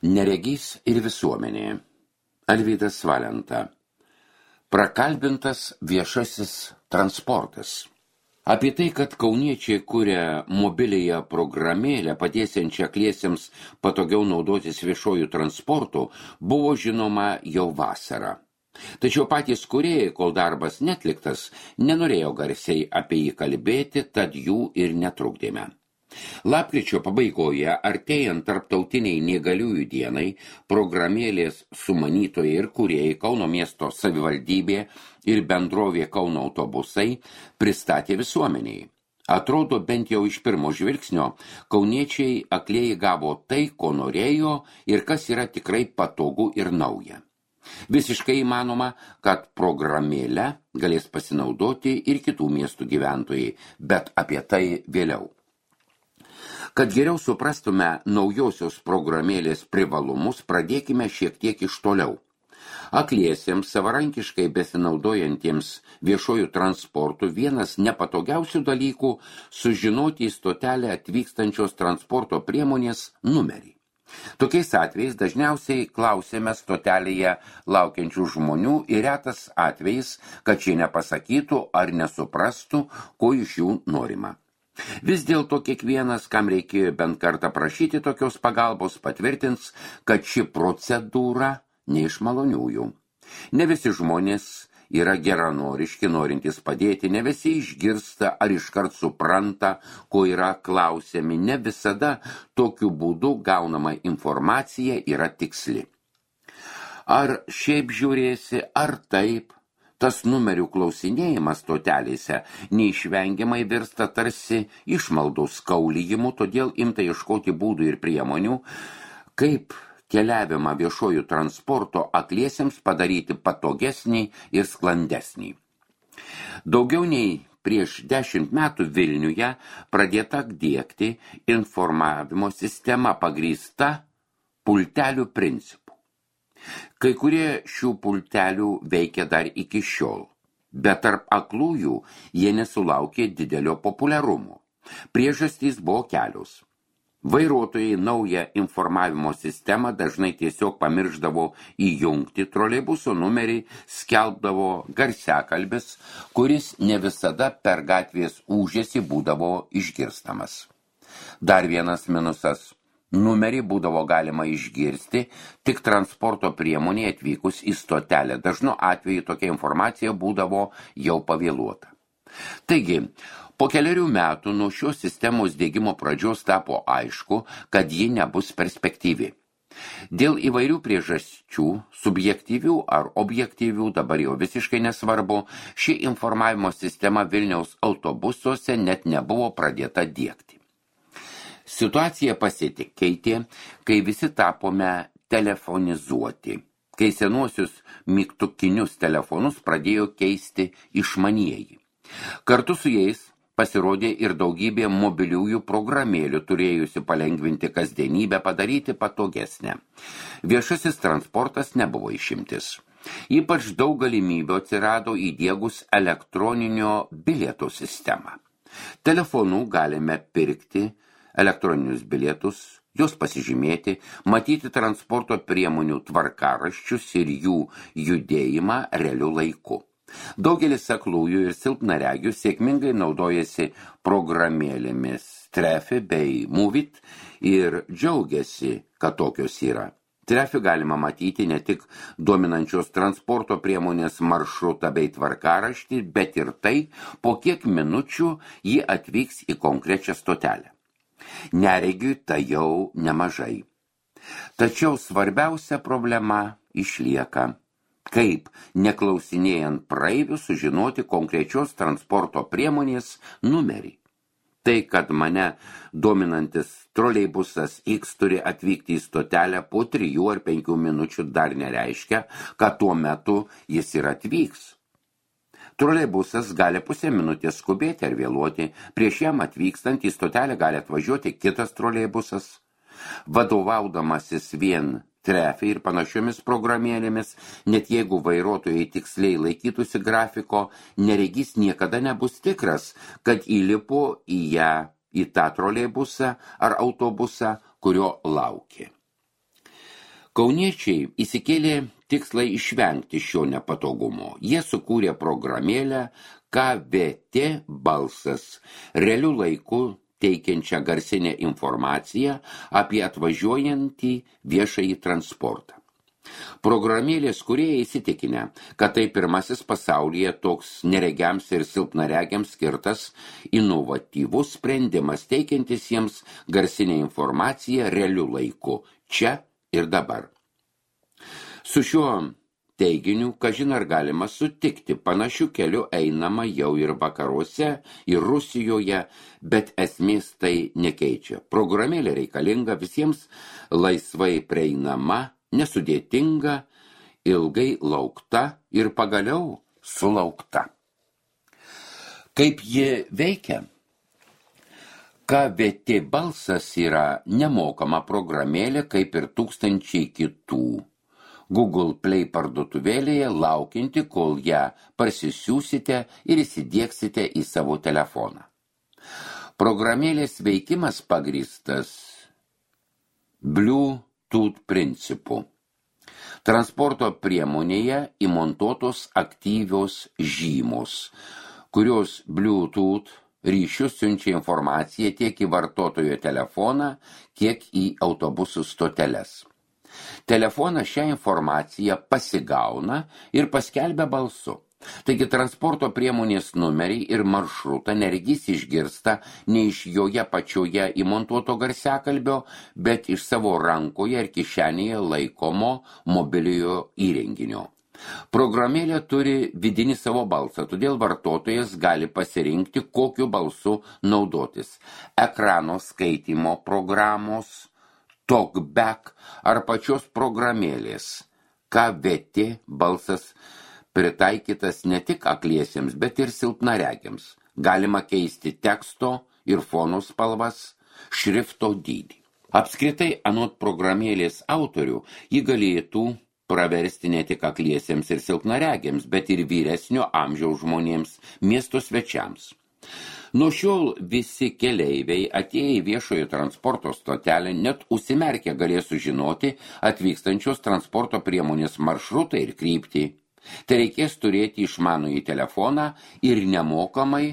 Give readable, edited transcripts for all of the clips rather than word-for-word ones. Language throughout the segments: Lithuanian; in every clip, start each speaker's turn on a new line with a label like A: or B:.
A: Neregys ir visuomenė. Alvydas Valenta. Prakalbintas viešasis transportas. Apie tai, kad kauniečiai kuria mobiliąją programėlę padėsiančią akliesiems patogiau naudotis viešuoju transportu, buvo žinoma jau vasarą. Tačiau patys kūrėjai, kol darbas netliktas, nenorėjo garsiai apie jį kalbėti, tad jų ir netrukdėme. Lapkričio pabaigoje, artėjant tarptautiniai neįgaliųjų dienai, programėlės sumanytojai ir kūrėjai Kauno miesto savivaldybė ir bendrovė Kauno autobusai pristatė visuomeniai. Atrodo, bent jau iš pirmo žvilgsnio, kauniečiai aklieji gavo tai, ko norėjo ir kas yra tikrai patogu ir nauja. Visiškai įmanoma, kad programėlę galės pasinaudoti ir kitų miestų gyventojai, bet apie tai vėliau. Kad geriau suprastume naujosios programėlės privalumus, pradėkime šiek tiek iš toliau. Akliesiems savarankiškai besinaudojantiems viešojų transportų vienas nepatogiausių dalykų sužinoti į stotelę atvykstančios transporto priemonės numerį. Tokiais atvejais dažniausiai klausėme stotelėje laukiančių žmonių ir retas atvejais, kad šie nepasakytų ar nesuprastų, ko iš jų norima. Vis dėlto kiekvienas, kam reikėjo bent kartą prašyti tokios pagalbos, patvirtins, kad ši procedūra ne iš maloniųjų. Ne visi žmonės yra geranoriški, norintys padėti, ne visi išgirsta ar iškart supranta, ko yra klausiami, ne visada tokiu būdu gaunama informacija yra tiksli. Ar šiaip žiūrėsi, ar taip? Tas numerių klausinėjimas stotelėse neišvengiamai virsta tarsi išmaldų skaulijimu, todėl imta ieškoti būdų ir priemonių, kaip keliavimą viešojų transporto akliesiems padaryti patogesnį ir sklandesnį. Daugiau nei prieš 10 metų Vilniuje pradėta diegti informavimo sistema pagrįsta pultelių principu. Kai kurie šių pultelių veikia dar iki šiol, bet tarp aklųjų jie nesulaukė didelio populiarumo. Priežastys buvo kelios. Vairuotojai naują informavimo sistemą dažnai tiesiog pamiršdavo įjungti, troleibuso numerį skelbdavo garsiakalbis, kuris ne visada per gatvės ūžesį būdavo išgirstamas. Dar vienas minusas. Numerį būdavo galima išgirsti tik transporto priemonė atvykus į stotelę. Dažnu atveju tokia informacija būdavo jau pavėluota. Taigi, po keliarių metų nuo šios sistemos diegimo pradžios tapo aišku, kad ji nebus perspektyvi. Dėl įvairių priežasčių, subjektyvių ar objektyvių, dabar jau visiškai nesvarbu, ši informavimo sistema Vilniaus autobusuose net nebuvo pradėta diegti. Situacija pasikeitė, kai visi tapome telefonizuoti, kai senuosius mygtukinius telefonus pradėjo keisti išmanieji. Kartu su jais pasirodė ir daugybė mobiliųjų programėlių, turėjusi palengvinti kasdienybę, padaryti patogesnę. Viešasis transportas nebuvo išimtis. Ypač daug galimybių atsirado įdiegus elektroninio bilietų sistemą. Telefonu galime pirkti elektroninius bilietus, juos pasižymėti, matyti transporto priemonių tvarkaraščius ir jų judėjimą realiu laiku. Daugelis aklųjų ir silpnaregių sėkmingai naudojasi programėlėmis Trefi bei Movit ir džiaugiasi, kad tokios yra. Trefi galima matyti ne tik dominančios transporto priemonės maršrutą bei tvarkaraštį, bet ir tai, po kiek minučių ji atvyks į konkrečią stotelę. Neregiui tai jau nemažai. Tačiau svarbiausia problema išlieka. Kaip, neklausinėjant praeivių, sužinoti konkrečios transporto priemonės numerį. Tai, kad mane dominantis troleibusas X turi atvykti į stotelę po 3 ar 5 minučių dar nereiškia, kad tuo metu jis ir atvyks. Troleibusas gali pusę minutės skubėti ar vėluoti, prieš jam atvykstant į stotelę gali atvažiuoti kitas troleibusas. Vadovaudamasis vien Trefi ir panašiomis programėlėmis, net jeigu vairuotojai tiksliai laikytųsi grafiko, neregys niekada nebus tikras, kad įlipo į tą troleibusą ar autobusą, kurio laukė. Kauniečiai įsikėlė tikslą išvengti šio nepatogumo. Jie sukūrė programėlę KVT balsas, realiu laiku teikiančią garsinę informaciją apie atvažiuojantį viešąjį transportą. Programėlės kūrėjai įsitikinę, kad tai pirmasis pasaulyje toks neregiams ir silpnaregiams skirtas inovatyvus sprendimas, teikiantis jiems garsinę informaciją realiu laiku, čia ir dabar. Su šiuo teiginiu, kažin ar galima sutikti, panašių kelių einama jau ir vakaruose, ir Rusijoje, bet esmės tai nekeičia. Programėlė reikalinga, visiems laisvai prieinama, nesudėtinga, ilgai laukta ir pagaliau sulaukta. Kaip ji veikia? KVT balsas yra nemokama programėlė, kaip ir tūkstančiai kitų. Google Play parduotuvėlėje laukianti, kol ją parsisiųsite ir įsidiegsite į savo telefoną. Programėlės veikimas pagrįstas Bluetooth principu. Transporto priemonėje įmontuotos aktyvios žymos, kurios Bluetooth ryšius siunčia informaciją tiek į vartotojo telefoną, kiek į autobusų stoteles. Telefonas šią informaciją pasigauna ir paskelbia balsu. Taigi transporto priemonės numerį ir maršrutą neregys išgirsta ne iš joje pačioje įmontuoto garsiakalbio, bet iš savo rankoje ir kišenėje laikomo mobiliojo įrenginio. Programėlė turi vidinį savo balsą, todėl vartotojas gali pasirinkti, kokiu balsu naudotis. Ekrano skaitymo programos, TalkBack ar pačios programėlės. KVT balsas pritaikytas ne tik akliesiems, bet ir silpnaregiams. Galima keisti teksto ir fono spalvas, šrifto dydį. Apskritai, anot programėlės autorių, ji galėtų praversti ne tik akliesiems ir silpnaregiams, bet ir vyresnio amžiaus žmonėms, miesto svečiams. Nuo šiol visi keleiviai atėję į viešojo transporto stotelę net užsimerkę galės sužinoti atvykstančios transporto priemonės maršrutą ir kryptį. Tai reikės turėti išmanųjį telefoną ir nemokamai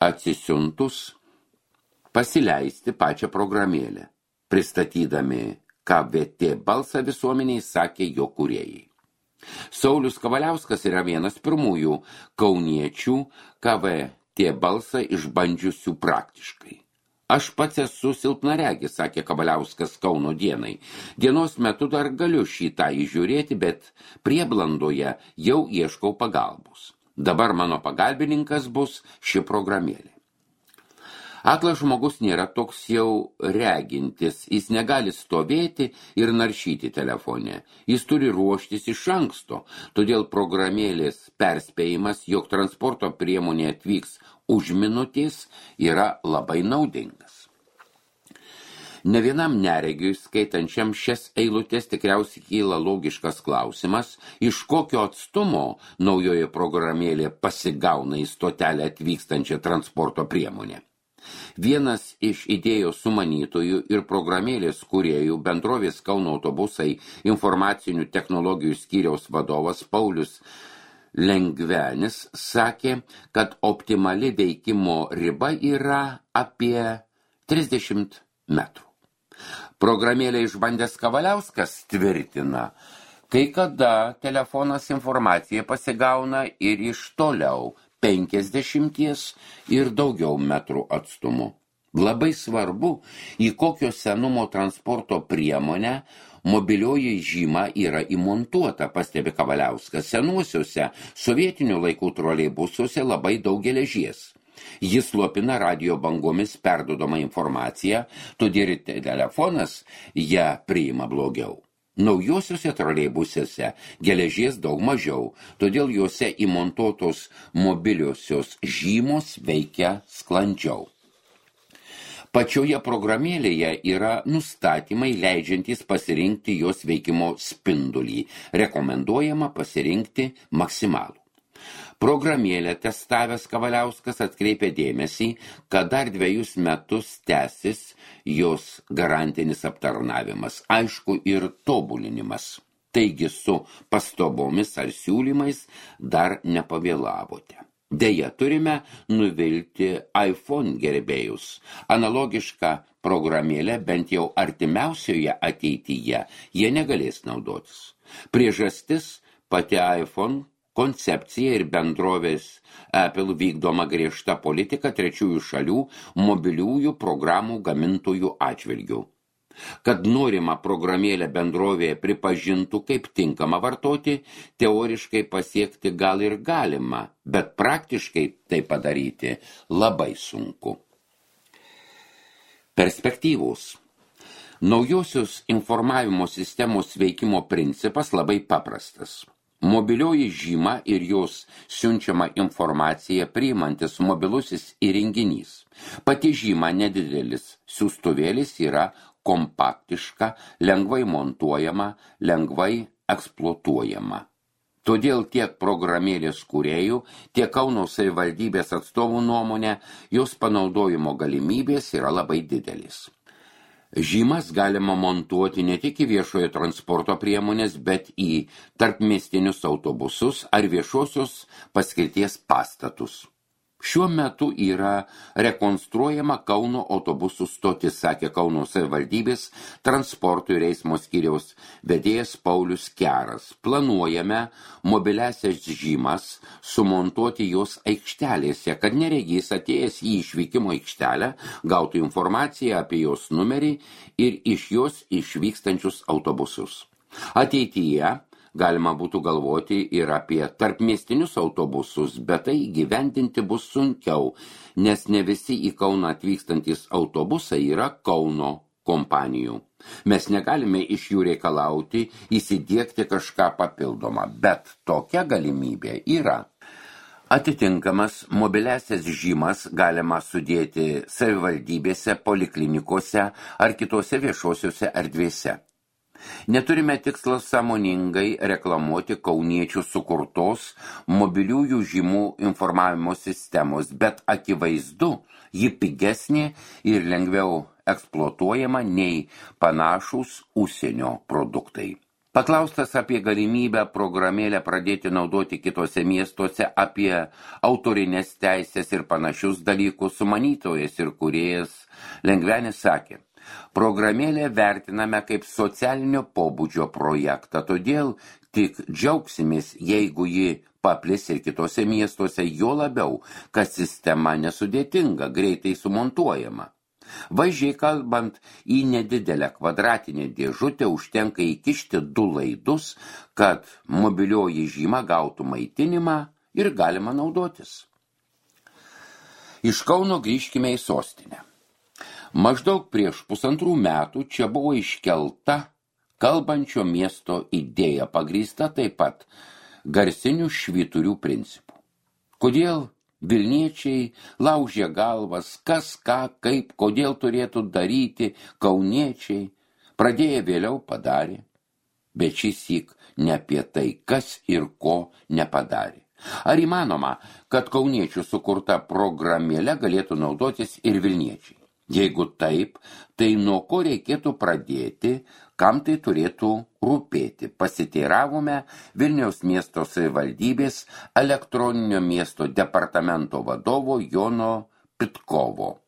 A: atsisiuntus pasileisti pačią programėlę. Pristatydami KVT balsą visuomeniai, sakė jo kūrėjai. Saulius Kavaliauskas yra vienas pirmųjų kauniečių KVT balsą išbandžiusių praktiškai. Aš pats esu silpnaregis, sakė Kavaliauskas Kauno dienai. Dienos metu dar galiu šitą įžiūrėti, bet prieblandoje jau ieškau pagalbos. Dabar mano pagalbininkas bus ši programėlė. Aklas žmogus nėra toks jau regintis, jis negali stovėti ir naršyti telefone. Jis turi ruoštis iš anksto, todėl programėlės perspėjimas, jog transporto priemonė atvyks už minutės, yra labai naudingas. Ne vienam neregiui, skaitančiam šias eilutes, tikriausiai kyla logiškas klausimas, iš kokio atstumo naujoje programėlė pasigauna į stotelę atvykstančią transporto priemonę. Vienas iš idėjos sumanytojų ir programėlės kūrėjų, bendrovės Kauno autobusai informacinių technologijų skyriaus vadovas Paulius Lengvenis, sakė, kad optimali veikimo riba yra apie 30 metrų. Programėlę išbandęs Kavaliauskas tvirtina, kai kada telefonas informaciją pasigauna ir iš toliau 50 ir daugiau metrų atstumu. Labai svarbu, į kokio senumo transporto priemonę mobilioji žyma yra įmontuota, pastebi Kavaliauskas. Senuosiuose sovietinių laikų troleibusuose labai daug geležies. Jis slopina radio bangomis perduodama informaciją, todėl telefonas ją priima blogiau. Naujosiuose troleibusuose geležies daug mažiau, todėl juose įmontuotos mobiliosios žymos veikia sklandžiau. Pačioje programėlėje yra nustatymai leidžiantys pasirinkti jos veikimo spindulį. Rekomenduojama pasirinkti maksimalų. Programėlę testavęs Kavaliauskas atkreipė dėmesį, kad dar 2 metus tęsis jos garantinis aptarnavimas, aišku, ir tobulinimas. Taigi su pastabomis ar siūlymais dar nepavėlavote. Deja, turime nuvilti iPhone gerbėjus. Analogišką programėlę bent jau artimiausioje ateityje jie negalės naudotis. Priežastis pati iPhone koncepcija ir bendrovės Apple vykdoma griežta politika trečiųjų šalių mobiliųjų programų gamintojų atžvilgių. Kad norima programėlę bendrovėje pripažintų kaip tinkama vartoti, teoriškai pasiekti gal ir galima, bet praktiškai tai padaryti labai sunku. Perspektyvos. Naujosios informavimo sistemos veikimo principas labai paprastas. Mobilioji žyma ir jos siunčiama informacija priimantis mobilusis įrenginys. Pati žyma nedidelis siųstuvėlis yra kompaktiška, lengvai montuojama, lengvai eksploatuojama. Todėl tiek programėlės kūrėjų, tiek Kauno savivaldybės atstovų nuomonė, jos panaudojimo galimybės yra labai didelis. Žymas galima montuoti ne tik į viešojo transporto priemonės, bet į tarpmiestinius autobusus ar viešosios paskirties pastatus. Šiuo metu yra rekonstruojama Kauno autobusų stotis, sakė Kauno savivaldybės transporto ir eismo skyriaus vedėjas Paulius Keras. Planuojame mobiliasias žymas sumontuoti jos aikštelėse, kad neregys atėjęs į išvykimo aikštelę gautų informaciją apie jos numerį ir iš jos išvykstančius autobusus. Ateityje galima būtų galvoti ir apie tarpmiestinius autobusus, bet tai įgyvendinti bus sunkiau, nes ne visi į Kauną atvykstantis autobusai yra Kauno kompanijų. Mes negalime iš jų reikalauti įsidiegti kažką papildomą, bet tokia galimybė yra. Atitinkamas mobiliasias žymas galima sudėti savivaldybėse, poliklinikose ar kitose viešosiuose erdvėse. Neturime tikslo sąmoningai reklamuoti kauniečių sukurtos mobiliųjų žymų informavimo sistemos, bet akivaizdu, ji pigesnė ir lengviau eksploatuojama nei panašūs užsienio produktai. Paklaustas apie galimybę programėlę pradėti naudoti kitose miestuose, apie autorinės teisės ir panašius dalykus, sumanytojas ir kūrėjas Lengvenis sakė: programėlę vertiname kaip socialinio pobūdžio projektą, todėl tik džiaugsimės, jeigu ji paplis ir kitose miestuose, jo labiau, kad sistema nesudėtinga, greitai sumontuojama. Vaizdžiai kalbant, į nedidelę kvadratinę dėžutę užtenka įkišti 2 laidus, kad mobilioji žyma gautų maitinimą ir galima naudotis. Iš Kauno grįžkime į sostinę. Maždaug prieš 1,5 metų čia buvo iškelta kalbančio miesto idėja, pagrįsta taip pat garsinių švyturių principų. Kodėl vilniečiai laužė galvas, kas, ką, kaip, kodėl turėtų daryti kauniečiai, pradėję vėliau padarė, bet šįsyk ne apie tai, kas ir ko nepadarė. Ar įmanoma, kad kauniečių sukurta programėlė galėtų naudotis ir vilniečiai? Jeigu taip, tai nuo ko reikėtų pradėti, kam tai turėtų rūpėti? Pasiteiravome Vilniaus miesto savivaldybės elektroninio miesto departamento vadovo Jono Pitkovo.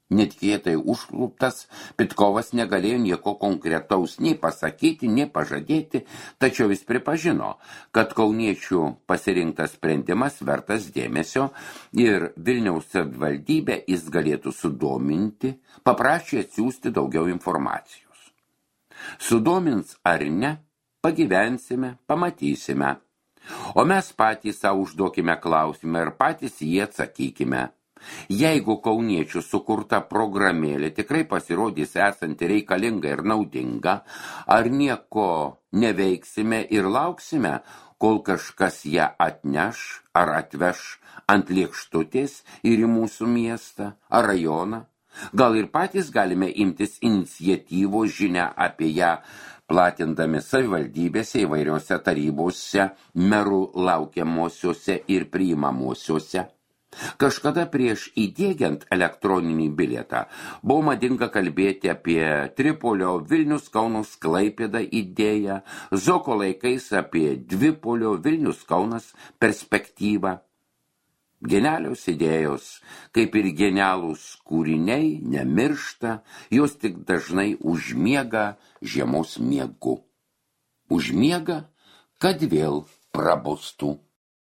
A: Netikėtai užkluptas, Pitkovas negalėjo nieko konkretaus nei pasakyti, nei pažadėti, tačiau jis pripažino, kad kauniečių pasirinktas sprendimas vertas dėmesio ir Vilniaus savivaldybę jis galėtų sudominti, paprašė atsiųsti daugiau informacijos. Sudomins ar ne, pagyvensime, pamatysime. O mes patys savo užduokime klausimą ir patys jį atsakykime. Jeigu kauniečių sukurta programėlė tikrai pasirodys esanti reikalinga ir naudinga, ar nieko neveiksime ir lauksime, kol kažkas ją atneš ar atveš ant lėkštutės ir į mūsų miestą ar rajoną? Gal ir patys galime imtis iniciatyvos žinią apie ją, platindami savivaldybėse įvairiose tarybose, merų laukiamosiuose ir priimamosiuose. Kažkada prieš įdiegiant elektroninį bilietą buvo madinga kalbėti apie Tripolio Vilnius Kaunas Klaipėda idėją, Zoko laikais apie Dvipolio Vilnius Kaunas perspektyvą. Genialios idėjos, kaip ir genialūs kūriniai, nemiršta, jos tik dažnai užmiega žiemos miegu. Užmiega, kad vėl prabustų.